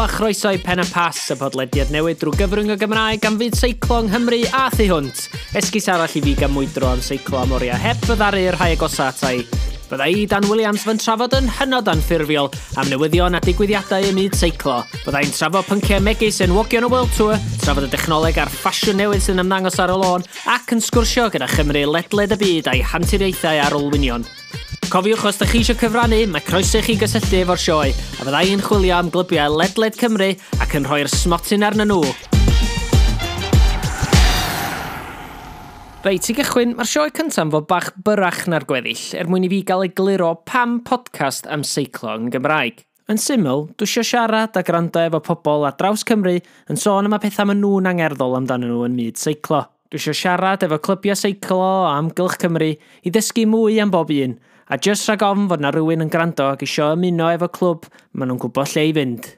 a chroeso i Pen y Pass, y podlediad newydd drwy gyfrwng y Gymraeg gan fyd seiclo yng Nghymru a thu hwnt. Esgus arall i fi gael mwydro am seiclo am oriau heb fyddaru yr rhai agosa ata i. Bydda i, Dan Williams, fy trafod yn hynod anffurfiol am newyddion a digwyddiadau ym myd seiclo. Bydda i'n trafod pynciau megis enwogion y World Tour, trafod y dechnoleg a'r ffasiwn newydd sy'n ymddangos ar y lôn, ac yn sgwrsio gyda Chymru ledled y byd a'i hanturiaethau ar olwynion. Cofiwch os ydych chi eisiau cyfrannu, mae croeso i chi gysylltu efo'r sioe, a fydda i'n chwilio am glybiau ledled Cymru ac yn rhoi'r smotyn arnyn nhw. Reit, i gychwyn, mae'r sioe cyntaf yn fod bach byrach na'r gweddill, er mwyn i fi gael egluro pam podcast am seiclo yn Gymraeg. Yn syml, dwi eisiau siarad a gwrando efo pobl ar draws Cymru yn sôn am y pethau maen nhw'n angerddol amdanyn nhw yn myd seiclo. Dwi eisiau siarad efo clybiau seiclo o amgylch Cymru i ddysgu mwy am bob un, a jyst rhag ofn fod na rhywun yn gwrando ac isio ymuno efo clwb, maen nhw'n gwybod lle i fynd.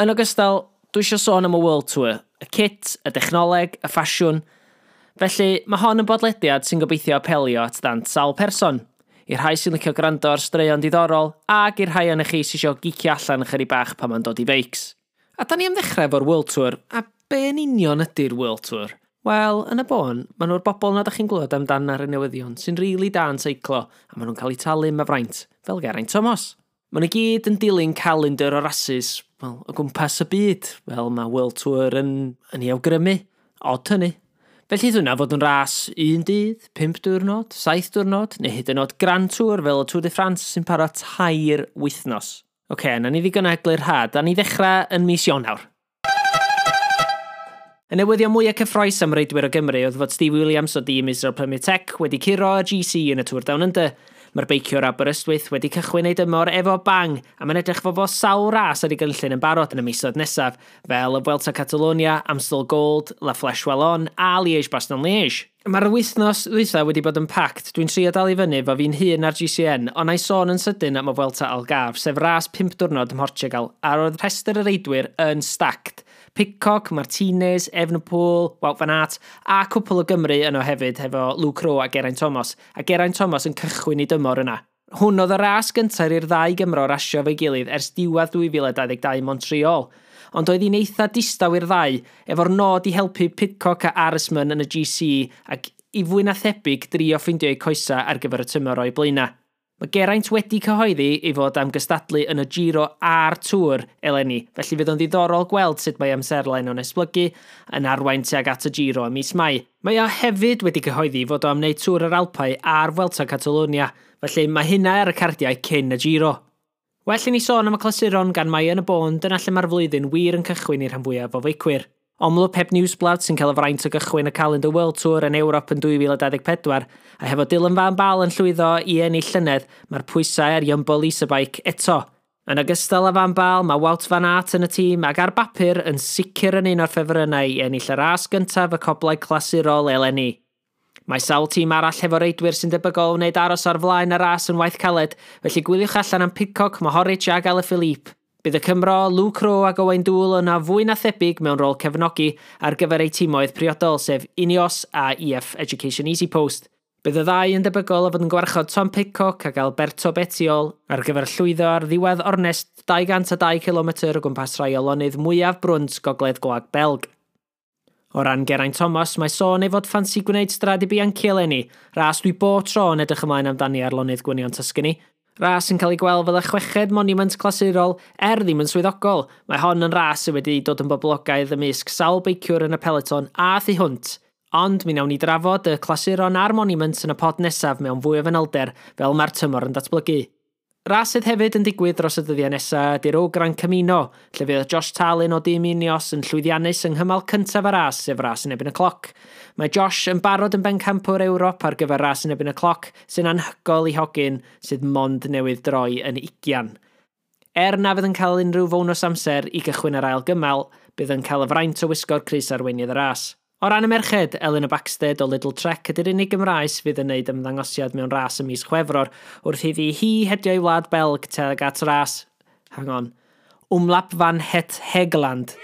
Yn ogystal, dwi eisiau sôn am y World Tour, y kit, y dechnoleg, y ffasiwn. Felly, mae hon yn bodlediad sy'n gobeithio apelio at ddant sawl person. I'r rhai sy'n licio gwrando ar straeon diddorol, ac i'r rhai ohonoch chi sy'n isio geekio allan ychydig bach pan mae'n dod i feics. A da ni am ddechrau efo'r World Tour, a be yn union ydy'r World Tour? Wel, yn y bôn, maen nhw'r bobl na da chi'n glywed amdan ar y newyddion sy'n rili da yn seiclo, a maen nhw'n cael eu talu am y fraint, fel Geraint Thomas. Maen nhw gyd yn dilyn calendar o rasys, wel, o gwmpas y byd, fel mae World Tour yn ei awgrymu. Od hynny. Felly hwnna fod yn ras un dydd, 5 diwrnod, 7 diwrnod, neu hyd yn oed Grand Tour fel y Tour de France sy'n para 3 wythnos. Oce, na ni ddigon o eglurhad, a ni ddechrau yn mis Ionawr. Y newyddion mwyaf cyffrous am reidwyr o Gymru oedd fod Steve Williams o dîm Israel Premier Tech wedi curo y GC yn y Tour Down Under. Mae'r beiciwr Aberystwyth wedi cychwyn ei dymor efo bang, a mae'n edrych fod fo sawl ras ar ei gynllun yn barod yn y misoedd nesaf, fel y Vuelta Catalonia, Amstel Gold, La Flèche Wallonne a Liège-Bastogne-Liège. Mae'r wythnos ddwytha wedi bod yn packed, dwi'n trio dal i fyny fo fi'n hun ar GCN, ond na'i sôn yn sydyn am y Vuelta Algarve, sef ras 5 diwrnod ym Mhortugal, a roedd rhestr y reidwyr yn stacked. Pidcock, Martinez, Evenepoel, Wout van Aert, a cwpl o Gymru yno hefyd hefo Luke Rowe a Geraint Thomas, a Geraint Thomas yn cychwyn ei dymor yna. Hwn oedd y ras gyntaf i'r ddau Gymro rasio efo'i gilydd ers diwedd 2022 Montreal, ond oedd hi'n eitha distaw i'r ddau, efo'r nod i helpu Pidcock a Arensman yn y GC ac i fwy na thebyg drio ffeindio eu coesau ar gyfer y tymor o'i blaenau. Mae Geraint wedi cyhoeddi ei fod am gystadlu yn y Giro a'r Tour eleni, felly fydd o'n ddiddorol gweld sut mae amserlen o'n esblygu yn arwain tuag at y Giro ym mis Mai. Mae o hefyd wedi cyhoeddi fod o am wneud Tour yr Alpau a'r Vuelta Catalonia, felly mae hynna ar y cardiau cyn y Giro. Well i ni sôn am y clasuron gan mai yn y bôn, dyna lle mae'r flwyddyn wir yn cychwyn i'r rhan fwyaf o feicwyr. Omloop Het Nieuwsblad sy'n cael y fraint o gychwyn y calendar World Tour yn Ewrop yn 2024, a hefo Dylan Van Baarle yn llwyddo i ennill llynedd, mae'r pwysau ar Jumbo Bike eto. Yn ogystal â Van Baarle, mae Wout van Aert yn y tîm ac ar bapur yn sicr yn un o'r ffefrynnau i ennill y ras gyntaf y coblau clasurol eleni. Mae sawl tîm arall hefo reidwyr sy'n debygol o wneud aros ar flaen y ras yn waith caled, felly gwyliwch allan am Pidcock, Mohoric ac Alaphilippe. Bydd y Cymro, Luke Rowe ac Owain Doull yna fwy na thebyg mewn rôl cefnogi ar gyfer eu timoedd priodol, sef Ineos a EF Education Easy Post. Bydd y ddau yn debygol o fod yn gwarchod Tom Pidcock ac Alberto Bettiol ar gyfer llwyddo ar ddiwedd ornest 202 km o gwmpas rhai o lonydd mwyaf brwnt gogledd Gwlad Belg. O ran Geraint Thomas, mae sôn ei fod ffansi gwneud Strade Bianchi eleni, ras dwi bob tro yn edrych ymlaen amdani ar lonydd gwynion Tuscany. Ras yn cael ei gweld fel y chweched monument clasurol, er ddim yn swyddogol. Mae hon yn ras sydd wedi dod yn boblogaidd ymysg sawl beiciwr yn y peloton a thu hwnt. Ond mi wnawn ni drafod y clasuron a'r monument yn y pod nesaf mewn fwy o fanylder fel mae'r tymor yn datblygu. Ras sydd hefyd yn digwydd dros y dyddiau nesaf ydy'r O Gran Camino, lle fydd Josh Tarling o dîm Ineos yn llwyddiannus yng nghymal cyntaf y ras, sef ras yn erbyn y cloc. Mae Josh yn barod yn bencampwr Ewrop ar gyfer ras yn erbyn y cloc, sy'n anhygoel i hogyn sydd mond newydd droi yn 20. Er na fydd yn cael unrhyw fonws amser i gychwyn yr ail gymal, bydd yn cael y fraint o wisgo'r crys arweinydd y ras. O ran y merched, Elena Backstedt o Lidl Trek ydy'r unig Gymraes fydd yn wneud ymddangosiad mewn ras ym mis Chwefror, wrth iddi hi hedio i wlad Belg tuag at ras, hang on, Omloop van het Hageland.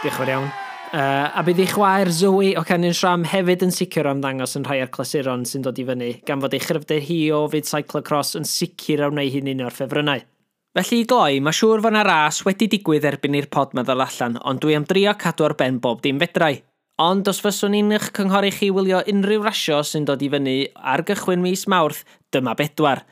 Diolch yn fawr iawn. A bydd ei chwaer Zoe o Canyon SRAM hefyd yn sicr o ymddangos yn rhai o'r clasuron sy'n dod i fyny, gan fod ei chryfder hi o fyd cyclocross yn sicr o wneud hi'n un o'r ffefrynnau. Felly i gloi, mae siŵr fod 'na ras wedi digwydd erbyn i'r pod 'ma ddod allan, ond dwi am drio cadw ar ben bob dim fedrai. Ond os fyswn i'n eich cynghori chi wylio unrhyw rasio sy'n dod i fyny ar gychwyn mis Mawrth, dyma bedwar.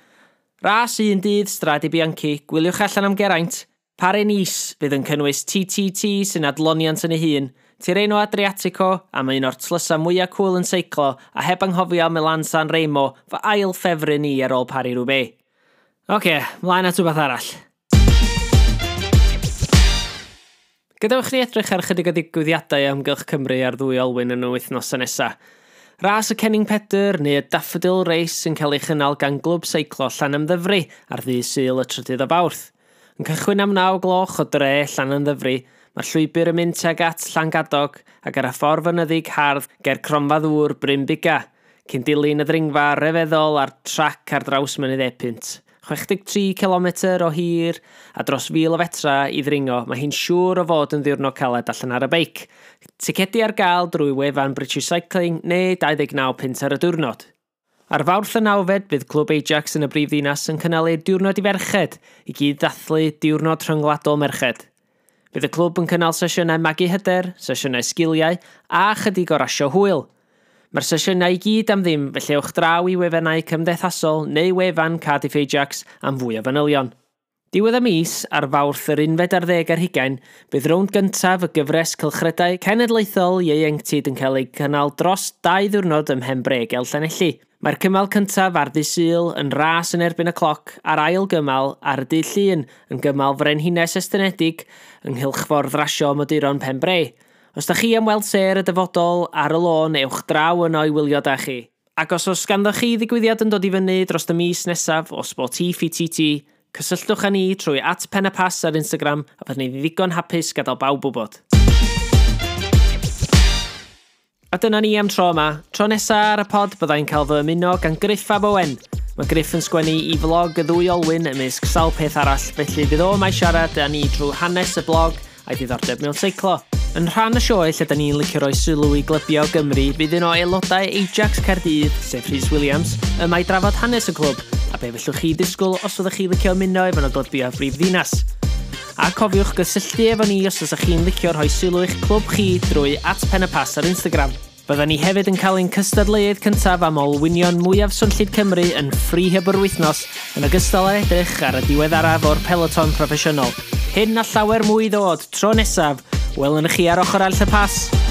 Ras un dydd Strade Bianchi, gwyliwch allan am Geraint. Paris-Nice fydd yn cynnwys TTT sy'n adloniant yn ei hun, Tirreno Adriatico am un o'r tlysau mwyaf cŵl yn seiclo a heb anghofio Milan San Remo, fy ail ffefryn i ar ôl Paris-Roubaix. Oce, mlaen at rhywbeth arall. Gadewch ni edrych ar chydig o ddigwyddiadau amgylch Cymru ar ddwy olwyn yn y wythnosau nesaf. Ras y Cenning Pedr neu y Daffodil Race sy'n cael ei chynnal gan Glwb Seiclo Llanymddyfri ar ddydd Sul y 3rd o Fawrth. Yn cychwyn am 9 gloch o dre Llanymddyfri, mae'r llwybr yn mynd tuag at Llangadog ac ar y ffordd fynyddig hardd ger Cronfa Ddŵr Bryn Buga, cyn dilyn y ddringfa ryfeddol a'r trac ar draws Mynydd Epynt. 63 km o hir a dros 1,000 o fetra i ddringo, mae hi'n siŵr o fod yn ddiwrnod caled allan ar y beic. Ticedi ar gael drwy wefan British Cycling neu 29 punt ar y diwrnod. Ar Fawrth y 9fed bydd Clwb Ajax yn y brifddinas yn cynnal ei diwrnod i ferched i gyd ddathlu Diwrnod Rhyngwladol Merched. Bydd y clwb yn cynnal sesiynau magu hyder, sesiynau sgiliau a chydig o rasio hwyl. Mae'r sesiynau i gyd am ddim, felly ewch draw i wefannau cymdeithasol neu wefan Cardiff Ajax am fwy o fanylion. Diwedd y mis, ar Fawrth yr 11, bydd rownd gyntaf y gyfres cylchredau cenedlaethol ieuenctid yn cael ei cynnal dros 2 ddiwrnod ym Mhenbre ger Llanelli. Mae'r cymal cyntaf ar ddydd Sul yn ras yn erbyn y cloc a'r ail gymal ar y dydd Llun yn gymal frenhines estynedig yng nghylchffordd rasio moduron Penbre. Os da chi am weld sêr y dyfodol ar y lôn, ewch draw yno i wylio da chi. Ac os oes ganddo chi ddigwyddiad yn dod i fyny dros y mis nesaf o Sportif i TT, cysylltwch â ni trwy @penypass ar Instagram a byddwn ni ddigon hapus gadael bawb wybod. A dyna ni am tro yma. Tro nesaf ar y pod byddai'n cael fy ymuno gan Griff ab Owen. Mae Griff yn sgwennu i flog y ddwy olwyn ymysg sawl peth arall, felly fydd o yma i siarad â ni drwy hanes y blog a'i ddiddordeb mewn seiclo. Yn rhan y sioe lle da ni'n licio rhoi sylw i glybiau o Gymru, fydd un o aelodau Ajax Caerdydd, sef Rhys Williams, yma i drafod hanes y clwb, a be fellwch chi ddisgwyl os fyddwch chi licio ymuno efo nhw glybiau brif ddinas. A cofiwch gysylltu efo ni os ydych chi'n licio rhoi sylw i'ch clwb chi drwy @penypass ar Instagram. Byddwn ni hefyd yn cael ein cystadleuaeth cyntaf am olwynion mwyaf swnllyd Cymru yn Freehub yr wythnos, yn ogystal â edrych ar y diweddaraf o'r peloton proffesiynol. Hyn a llawer mwy ddod tro nesaf, welwn chi ar ochr arall y pas.